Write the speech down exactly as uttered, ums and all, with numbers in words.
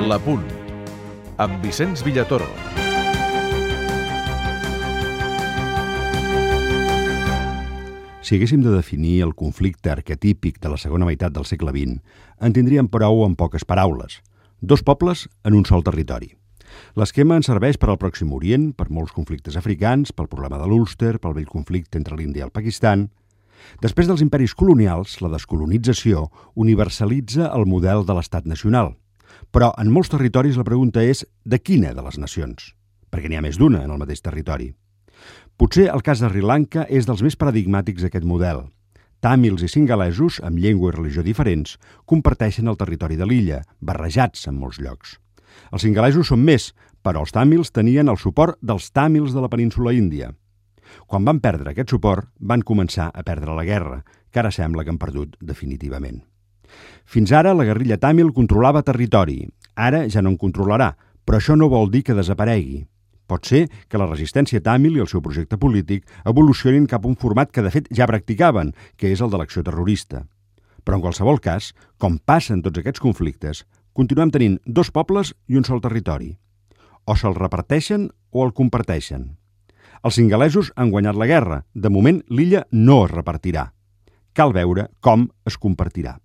La Punt, amb Vicenç Villatoro. Si haguéssim de definir el conflicte arquetípic de la segona meitat del segle vint, en tindríem prou amb poques paraules. Dos pobles en un sol territori. L'esquema ens serveix per al Pròxim Orient, per molts conflictes africans, pel problema de l'Ulster, pel vell conflicte entre l'Índia i el Pakistan. Després dels imperis colonials, la descolonització universalitza el model de l'estat nacional. Però en molts territoris la pregunta és de quina de les nacions? Perquè n'hi ha més d'una en el mateix territori. Potser el cas de Sri Lanka és dels més paradigmàtics d'aquest model. Tàmils i singalesos, amb llengua i religió diferents, comparteixen el territori de l'illa, barrejats en molts llocs. Els singalesos són més, però els tàmils tenien el suport dels tàmils de la península índia. Quan van perdre aquest suport, van començar a perdre la guerra, que ara sembla que han perdut definitivament. Fins ara, la guerrilla tàmil controlava territori. Ara ja no en controlarà, però això no vol dir que desaparegui. Pot ser que la resistència tàmil i el seu projecte polític evolucionin cap a un format que de fet ja practicaven, que és el de l'acció terrorista. Però en qualsevol cas, com passa en tots aquests conflictes, continuem tenint dos pobles i un sol territori. O se'l reparteixen o el comparteixen. Els singalesos han guanyat la guerra. De moment, l'illa no es repartirà. Cal veure com es compartirà.